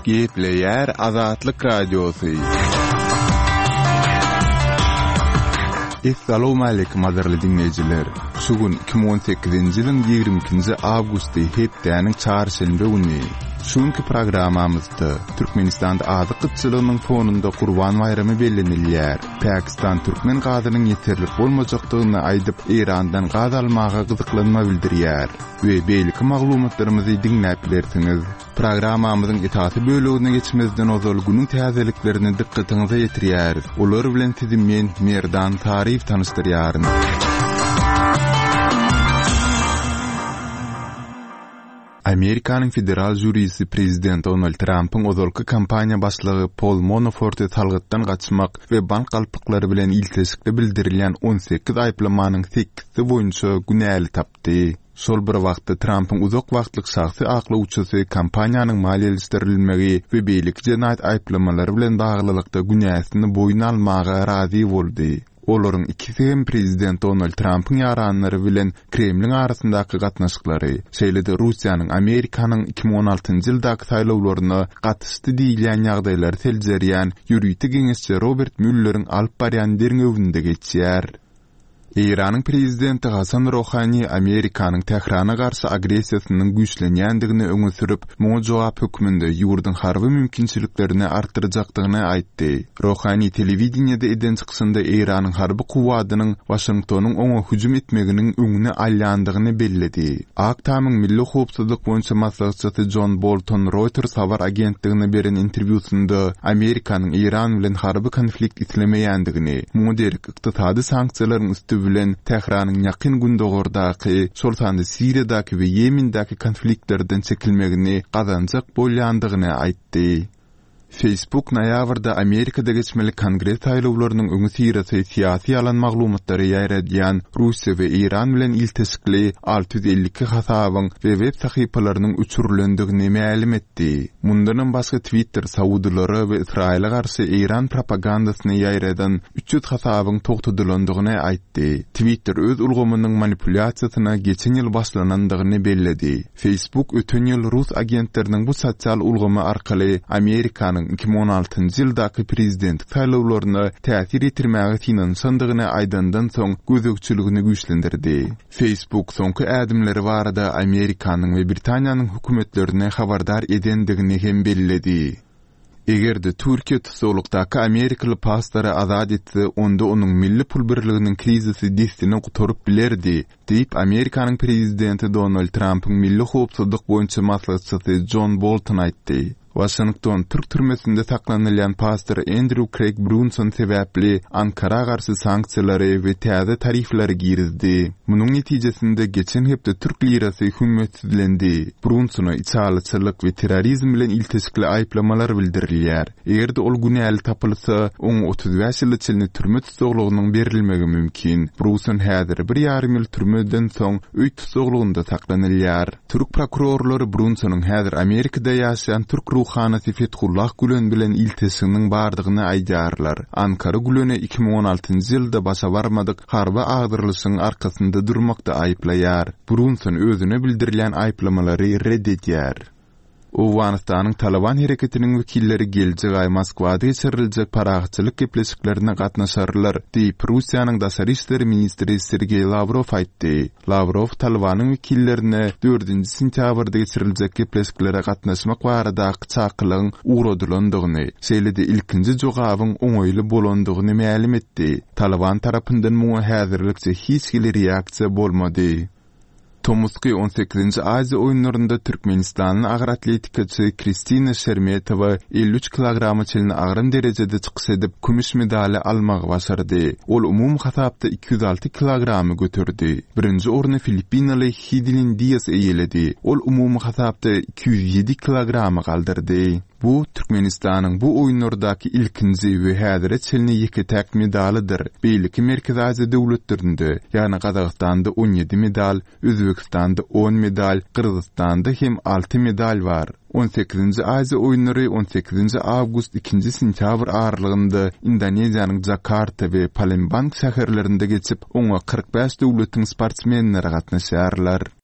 Gepleýär Azatlyk Radiosy. Essalawmaleýkim gadyrly diňleýjiler! Şu gün 2018-nji ýylyň 22-nji awgusty hepdäniň çarşenbe güni. Şu günki programmamyzda Türkmenistanda azyk gytçylygynyň fonunda Gurban baýramy bellenilýär. Pakistan türkmen gazynyň ýeterlik bolmajakdygyny aýdyp, Eýrandan gaz almaga gyzyklanma bildirýär we beýleki maglumatlarymyzy diňläp bilersiňiz. Programmamyzyň esasy bölegine geçmezden ozal günüň täzeliklerini dykgatyňyza ýetirýäris. Olar bilen sizi men, Merdan Saryýew tanyşdyrýaryn. Amerikanyň federal žurisi prezident Donald Trampyň ozalky kampaniýa başlygy Pol Manaforty salgytdan gaçmak we bank galplyklary bilen ilteşikli bildirilýän 18 aýyplamanyň sekizisi boýunça günäli tapdy. Şol bir wagtda, Trampyň uzak wagtlyk şahsy aklawçysy kampaniýanyň maliýeleşdirilmegi we beýleki jenaýat aýyplamalary bilen baglylykda günäsini boýun almaga razy boldy. Olaryň ikisi hem prezident Donald Trampyň ýaranlary bilen Kremliň arasyndaky gatnaşyklary, şeýle-de Russiýanyň Amerikanyň 2016-njy ýyldaky saýlawlaryna gatyşdy diýilýän ýagdaýlary seljerýän ýörite geňeşçi Robert Mülleriň alyp barýan derňewinde geçýär. Eýranyň prezidenti Hasan Rohani Amerikanyň Tährana garşy agressiýasynyň güýçlenýändigini öňe sürüp, muňa jogap hökmünde ýurduň harby mümkinçiliklerini artdyrjakdygyny aýtdy. Rohani telewideniýede eden çykyşynda Eýranyň harby kuwwadynyň Waşingtonyň oňa hüjüm etmeginiň öňüni alýandygyny belledi. Ak Tamyň milli howpsuzlyk boýunça maslahatçysy Jon Bolton Reuters habar agentligine beren interwýusynda Amerikanyň Eýran bilen harby konflikt islemeýändigini, muňa derek ykdysady sanksiýalaryň üsti bilen Tähranyň Ýakyn Gündogardaky, şol sanda Siriýadaky we Ýemendäki konfliktlerden çekilmegini gazanjak bolýandygyny aýtdy. Facebook noýabrda Amerikada geçmeli Kongres saýlawlarynyň öňüsyrasy syýasy ýalan maglumatlary ýaýradýan Russiýa we Eýran bilen ilteşikli 652 hasabyň we web sahypalarynyň öçürilendigini mälim etdi. Mundanam başga Twitter saudylara we Ysraýyla garşy eýran propagandasyny ýaýradan 300 hasabyň togtadylandygyny aýtdy. Twitter öz ulgamynyň manipulýasiýasyna geçen ýyl başlanandygyny belledi. Facebook öten ýyl rus agentleriniň bu sosial ulgamy arkaly Amerikanyň 2016-njy ýyldaky prezidentlik saýlawlaryna täsir ýetirmäge synanyşandygyny aýdandan soň gözegçiligini güýçlendirdi. Facebook soňky ädimleri barada Amerikanyň we Britaniýanyň hökümetlerini habardar edendigini hem belledi. Eger-de Türkiýe tussaglykdaky amerikaly pastory azat etse, onda onuň milli pul birliginiň krizisi dessine gutaryp bilerdi, diýip, Amerikanyň prezidenti Donald Trampyň milli howpsuzlyk boýunça maslahatçysy Jon Bolton aýtdy. Waşington türk türmesinde saklanylýan pastor Endrýu Kreýg Brunson sebäpli Ankara garşy sanksiýalary we täze tarifleri girizdi. Munuň netijesinde geçen hepde türk lirasy hümmetsizlendi. Brunsona içalyçylyk we terrorizm bilen ilteşikli aýyplamalar bildirilýär. Eger-de ol günäli tapylsa, oňa 35 ýyla çenli türme tussaglygynyň berilmegi mümkin. Bruson häzir bir ýarym ýyl türmeden soň öý tussaglygynda saklanylýar. Türk prokurorlary Brunsonyň häzir Amerikada ýaşaýan türk ruhanysy Fethullah Gülen bilen ilteşiginiň bardygyny aýdýarlar. Ankara Güleni 2016-njy ýylda başa barmadyk harby agdarylyşygyň arkasynda durmakda aýyplaýar. Brunson özüne bildirilýän aýyplamalary ret edýär. Owganystanyň Talyban hereketiniň wekilleri geljek aý Moskwada geçiriljek parahatçylyk gepleşiklerine gatnaşarlar, diýip, Russiýanyň daşary işler ministri Sergeý Lawrow aýtdy. Lawrow Talybanyň wekillerine dördünji sentýabrda geçiriljek gepleşiklere gatnaşmak baradaky çakylygyň ugradylandygyny, şeýle-de ilkinji jogabyň oňaýly bolandygyny mälim etdi. Talyban tarapyndan muňa häzirlikçe hiç hili reaksiýa bolmady. Tomusky on sekizinji Aziýa oýunlarynda türkmenistanly agyr atletikaçy Kristina Şermetowa 53 kilograma çenli agram derejede çykyş edip, kümüş medaly almagy başardy. Ol umumy hasapda 206 kilogramy göterdi. Birinji orny filippinaly Hidilin Dias eýeledi. Ol umumy hasapda 207 kilogramy galdyrdy. Bu, Türkmenistanyň bu oýunlardaky ilkinji we häzire çenli ýeke-täk medalydyr. Beýleki Merkezi Aziýa döwletlerinde, ýagny Gazagystanda on ýedi medal, Özbegistanda on medal, Gyrgyzystanda hem alty medal bar. On sekizinji Aziýa oýunlary on sekizinji awgust, ikinji sentýabr aralygynda Indoneziýanyň Jakarta we Palembang şäherlerinde geçip, oňa 45 döwletiň sportsmenleri gatnaşýarlar.